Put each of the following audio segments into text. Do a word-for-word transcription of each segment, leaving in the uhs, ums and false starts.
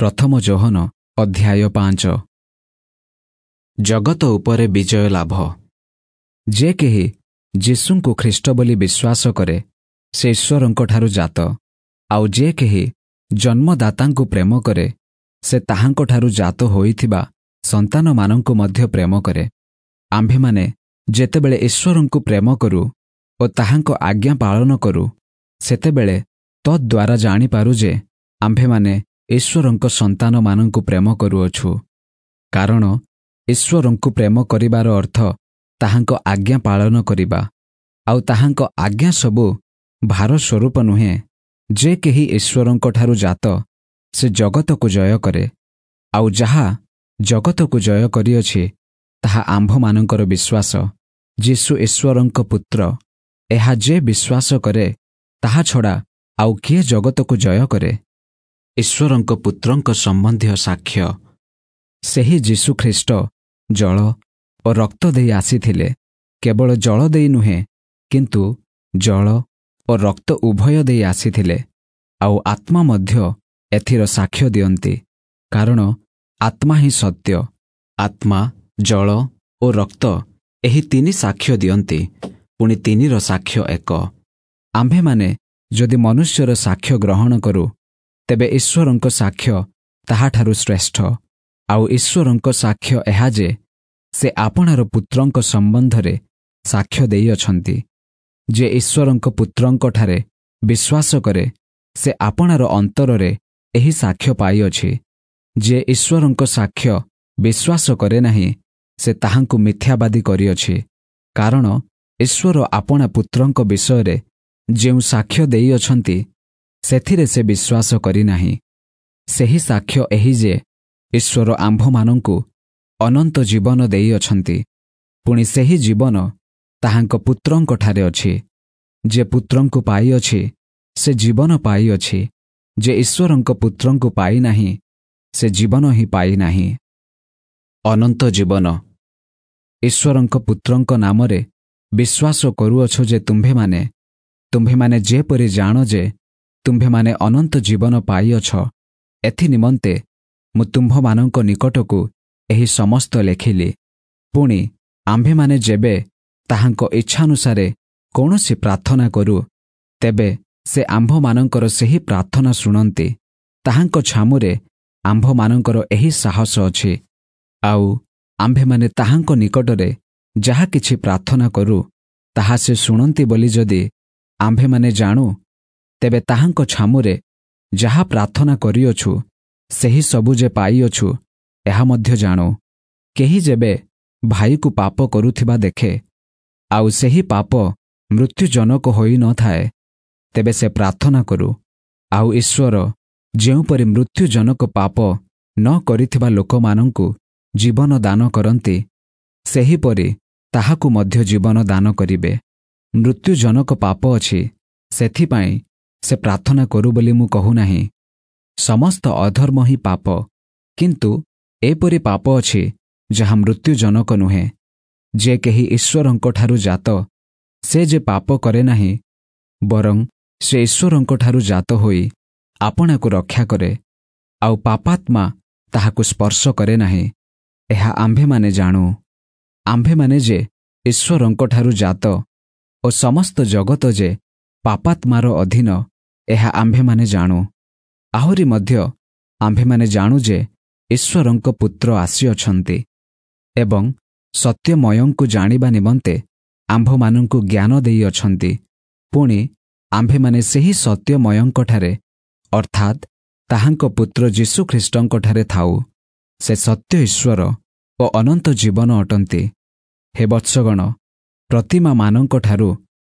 ପ୍ରଥମ ଯୋହନ ଅଧ୍ୟାୟ ପାଞ୍ଚ। ଜଗତ ଉପରେ ବିଜୟ ଲାଭ। ଯେ କେହି ଯୀଶୁଙ୍କୁ ଖ୍ରୀଷ୍ଟ ବୋଲି ବିଶ୍ୱାସ କରେ, ସେ ଈଶ୍ୱରଙ୍କଠାରୁ ଜାତ। ଆଉ ଯେ କେହି ଜନ୍ମଦାତାଙ୍କୁ ପ୍ରେମ କରେ, ସେ ତାହାଙ୍କଠାରୁ ଜାତ ହୋଇଥିବା ସନ୍ତାନମାନଙ୍କୁ ମଧ୍ୟ ପ୍ରେମ କରେ। ଆମ୍ଭେମାନେ ଯେତେବେଳେ ଈଶ୍ୱରଙ୍କୁ ପ୍ରେମ କରୁ ଓ ତାହାଙ୍କ ଆଜ୍ଞା ପାଳନ କରୁ, ସେତେବେଳେ ତଦ୍ୱାରା ଜାଣିପାରୁ ଯେ ଆମ୍ଭେମାନେ ଈଶ୍ୱରଙ୍କ ସନ୍ତାନମାନଙ୍କୁ ପ୍ରେମ କରୁଅଛୁ। କାରଣ ଈଶ୍ୱରଙ୍କୁ ପ୍ରେମ କରିବାର ଅର୍ଥ ତାହାଙ୍କ ଆଜ୍ଞା ପାଳନ କରିବା, ଆଉ ତାହାଙ୍କ ଆଜ୍ଞା ସବୁ ଭାର ସ୍ୱରୂପ ନୁହେଁ। ଯେ କେହି ଈଶ୍ୱରଙ୍କଠାରୁ ଜାତ, ସେ ଜଗତକୁ ଜୟ କରେ। ଆଉ ଯାହା ଜଗତକୁ ଜୟ କରିଅଛି, ତାହା ଆମ୍ଭମାନଙ୍କର ବିଶ୍ୱାସ। ଯୀଶୁ ଈଶ୍ୱରଙ୍କ ପୁତ୍ର, ଏହା ଯେ ବିଶ୍ୱାସ କରେ, ତାହା ଛଡ଼ା ଆଉ କିଏ ଜଗତକୁ ଜୟ କରେ? ଈଶ୍ୱରଙ୍କ ପୁତ୍ରଙ୍କ ସମ୍ବନ୍ଧୀୟ ସାକ୍ଷ୍ୟ। ସେହି ଯୀଶୁ ଖ୍ରୀଷ୍ଟ ଜଳ ଓ ରକ୍ତ ଦେଇ ଆସିଥିଲେ। କେବଳ ଜଳ ଦେଇ ନୁହେଁ, କିନ୍ତୁ ଜଳ ଓ ରକ୍ତ ଉଭୟ ଦେଇ ଆସିଥିଲେ। ଆଉ ଆତ୍ମା ମଧ୍ୟ ଏଥିର ସାକ୍ଷ୍ୟ ଦିଅନ୍ତି, କାରଣ ଆତ୍ମା ହିଁ ସତ୍ୟ। ଆତ୍ମା, ଜଳ ଓ ରକ୍ତ ଏହି ତିନି ସାକ୍ଷ୍ୟ ଦିଅନ୍ତି, ପୁଣି ତିନିର ସାକ୍ଷ୍ୟ ଏକ। ଆମ୍ଭେମାନେ ଯଦି ମନୁଷ୍ୟର ସାକ୍ଷ୍ୟ ଗ୍ରହଣ କରୁ, ତେବେ ଈଶ୍ୱରଙ୍କ ସାକ୍ଷ୍ୟ ତାହାଠାରୁ ଶ୍ରେଷ୍ଠ। ଆଉ ଈଶ୍ୱରଙ୍କ ସାକ୍ଷ୍ୟ ଏହା ଯେ ସେ ଆପଣାର ପୁତ୍ରଙ୍କ ସମ୍ବନ୍ଧରେ ସାକ୍ଷ୍ୟ ଦେଇଅଛନ୍ତି। ଯେ ଈଶ୍ୱରଙ୍କ ପୁତ୍ରଙ୍କଠାରେ ବିଶ୍ୱାସ କରେ, ସେ ଆପଣାର ଅନ୍ତରରେ ଏହି ସାକ୍ଷ୍ୟ ପାଇଅଛି। ଯେ ଈଶ୍ୱରଙ୍କ ସାକ୍ଷ୍ୟ ବିଶ୍ୱାସ କରେ ନାହିଁ, ସେ ତାହାଙ୍କୁ ମିଥ୍ୟାବାଦୀ କରିଅଛି, କାରଣ ଈଶ୍ୱର ଆପଣା ପୁତ୍ରଙ୍କ ବିଷୟରେ ଯେଉଁ ସାକ୍ଷ୍ୟ ଦେଇଅଛନ୍ତି, ସେଥିରେ ସେ ବିଶ୍ୱାସ କରିନାହିଁ। ସେହି ସାକ୍ଷ୍ୟ ଏହି ଯେ ଈଶ୍ୱର ଆମ୍ଭମାନଙ୍କୁ ଅନନ୍ତ ଜୀବନ ଦେଇଅଛନ୍ତି, ପୁଣି ସେହି ଜୀବନ ତାହାଙ୍କ ପୁତ୍ରଙ୍କଠାରେ ଅଛି। ଯେ ପୁତ୍ରଙ୍କୁ ପାଇଅଛି, ସେ ଜୀବନ ପାଇଅଛି। ଯେ ଈଶ୍ୱରଙ୍କ ପୁତ୍ରଙ୍କୁ ପାଇନାହିଁ, ସେ ଜୀବନ ହିଁ ପାଇନାହିଁ। ଅନନ୍ତ ଜୀବନ। ଈଶ୍ୱରଙ୍କ ପୁତ୍ରଙ୍କ ନାମରେ ବିଶ୍ୱାସ କରୁଅଛ ଯେ ତୁମ୍ଭେମାନେ, ତୁମ୍ଭେମାନେ ଯେପରି ଜାଣ ଯେ ତୁମ୍ଭେମାନେ ଅନନ୍ତ ଜୀବନ ପାଇଅଛ, ଏଥି ନିମନ୍ତେ ମୁଁ ତୁମ୍ଭମାନଙ୍କ ନିକଟକୁ ଏହି ସମସ୍ତ ଲେଖିଲି। ପୁଣି ଆମ୍ଭେମାନେ ଯେବେ ତାହାଙ୍କ ଇଚ୍ଛାନୁସାରେ କୌଣସି ପ୍ରାର୍ଥନା କରୁ, ତେବେ ସେ ଆମ୍ଭମାନଙ୍କର ସେହି ପ୍ରାର୍ଥନା ଶୁଣନ୍ତି। ତାହାଙ୍କ ଛାମୁରେ ଆମ୍ଭମାନଙ୍କର ଏହି ସାହସ ଅଛି, ଆଉ ଆମ୍ଭେମାନେ ତାହାଙ୍କ ନିକଟରେ ଯାହା କିଛି ପ୍ରାର୍ଥନା କରୁ, ତାହା ସେ ଶୁଣନ୍ତି ବୋଲି ଯଦି ଆମ୍ଭେମାନେ ଜାଣୁ, ତେବେ ତାହାଙ୍କ ଛାମୁରେ ଯାହା ପ୍ରାର୍ଥନା କରିଅଛୁ, ସେହି ସବୁ ଯେ ପାଇଅଛୁ, ଏହା ମଧ୍ୟ ଜାଣୁ। କେହି ଯେବେ ଭାଇକୁ ପାପ କରୁଥିବା ଦେଖେ, ଆଉ ସେହି ପାପ ମୃତ୍ୟୁଜନକ ହୋଇନଥାଏ, ତେବେ ସେ ପ୍ରାର୍ଥନା କରୁ, ଆଉ ଈଶ୍ୱର ଯେଉଁପରି ମୃତ୍ୟୁଜନକ ପାପ ନ କରିଥିବା ଲୋକମାନଙ୍କୁ ଜୀବନ ଦାନ କରନ୍ତି, ସେହିପରି ତାହାକୁ ମଧ୍ୟ ଜୀବନ ଦାନ କରିବେ। ମୃତ୍ୟୁଜନକ ପାପ ଅଛି, ସେଥିପାଇଁ ସେ ପ୍ରାର୍ଥନା କରୁ ବୋଲି ମୁଁ କହୁନାହିଁ। ସମସ୍ତ ଅଧର୍ମ ହିଁ ପାପ, କିନ୍ତୁ ଏପରି ପାପ ଅଛି ଯାହା ମୃତ୍ୟୁଜନକ ନୁହେଁ। ଯେ କେହି ଈଶ୍ୱରଙ୍କଠାରୁ ଜାତ, ସେ ଯେ ପାପ କରେ ନାହିଁ, ବରଂ ସେ ଈଶ୍ୱରଙ୍କଠାରୁ ଜାତ ହୋଇ ଆପଣାକୁ ରକ୍ଷା କରେ, ଆଉ ପାପାତ୍ମା ତାହାକୁ ସ୍ପର୍ଶ କରେ ନାହିଁ। ଏହା ଆମ୍ଭେମାନେ ଜାଣୁ। ଆମ୍ଭେମାନେ ଯେ ଈଶ୍ୱରଙ୍କଠାରୁ ଜାତ ଓ ସମସ୍ତ ଜଗତ ଯେ ପାପାତ୍ମାର ଅଧୀନ, ଏହା ଆମ୍ଭେମାନେ ଜାଣୁ। ଆହୁରି ମଧ୍ୟ ଆମ୍ଭେମାନେ ଜାଣୁ ଯେ ଈଶ୍ୱରଙ୍କ ପୁତ୍ର ଆସିଅଛନ୍ତି ଏବଂ ସତ୍ୟମୟଙ୍କୁ ଜାଣିବା ନିମନ୍ତେ ଆମ୍ଭମାନଙ୍କୁ ଜ୍ଞାନ ଦେଇଅଛନ୍ତି। ପୁଣି ଆମ୍ଭେମାନେ ସେହି ସତ୍ୟମୟଙ୍କଠାରେ, ଅର୍ଥାତ୍ ତାହାଙ୍କ ପୁତ୍ର ଯୀଶୁଖ୍ରୀଷ୍ଟଙ୍କଠାରେ ଥାଉ। ସେ ସତ୍ୟ ଈଶ୍ୱର ଓ ଅନନ୍ତ ଜୀବନ ଅଟନ୍ତି। ହେ ବତ୍ସଗଣ, ପ୍ରତିମାମାନଙ୍କଠାରୁ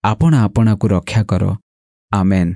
ଆପଣା ଆପଣାକୁ ରକ୍ଷା କର। ଆମେନ୍।